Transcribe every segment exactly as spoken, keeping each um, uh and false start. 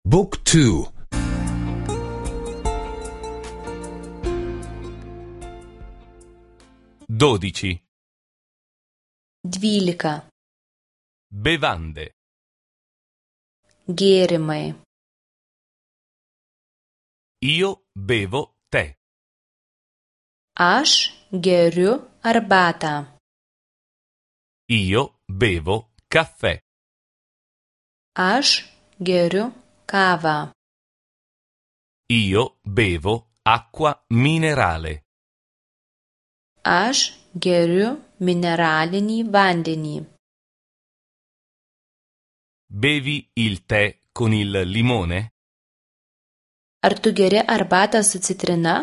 Book two. Dodici. Dvylika. Bevande. Gėrimai. Io bevo tè. Aš geriu arbatą. Io bevo caffè. Aš geriu kavą. Io bevo acqua minerale. Aš geriu mineralinį vandenį. Bevi il tè con il limone? Ar tu geri arbatą su citrina?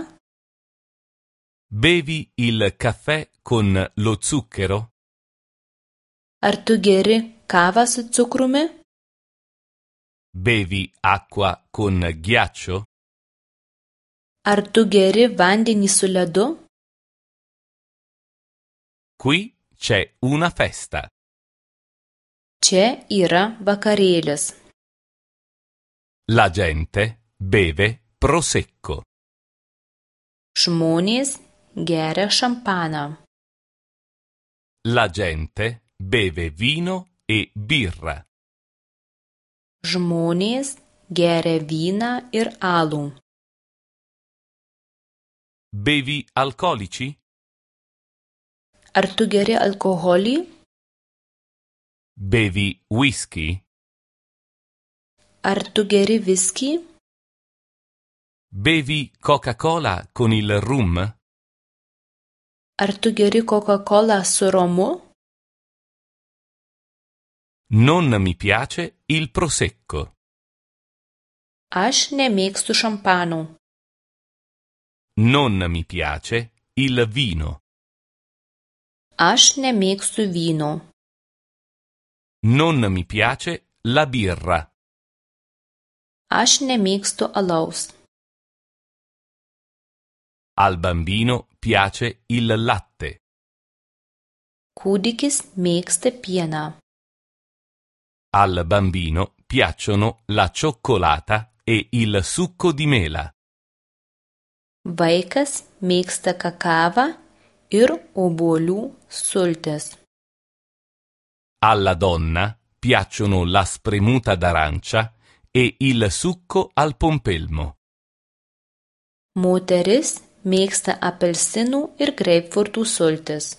Bevi il caffè con lo zucchero? Ar tu geri kavą su cukrumi? Bevi acqua con ghiaccio? Ar tu geri vandenį su ledu? Qui c'è una festa. Čia yra vakarėlis. La gente beve prosecco. Žmonės geria šampaną. La gente beve vino e birra. Žmonės geria vyną ir alų. Bevi alcolici? Ar tu geri alkoholį? Bevi whisky? Ar tu geri viskį? Bevi Coca-Cola con il rum? Ar tu geri Coca-Cola su romu? Non mi piace il prosecco. Aš nemėgstu šampano. Non mi piace il vino. Aš nemėgstu vyno. Non mi piace la birra. Aš nemėgstu alaus. Al bambino piace il latte. Kūdikis mėgsta pieną. Al bambino piacciono la cioccolata e il succo di mela. Vaikas mėgsta kakavą ir obuolių sultis. Alla donna piacciono la spremuta d'arancia e il succo al pompelmo. Moteris mėgsta apelsinų ir greipfrutų sultis.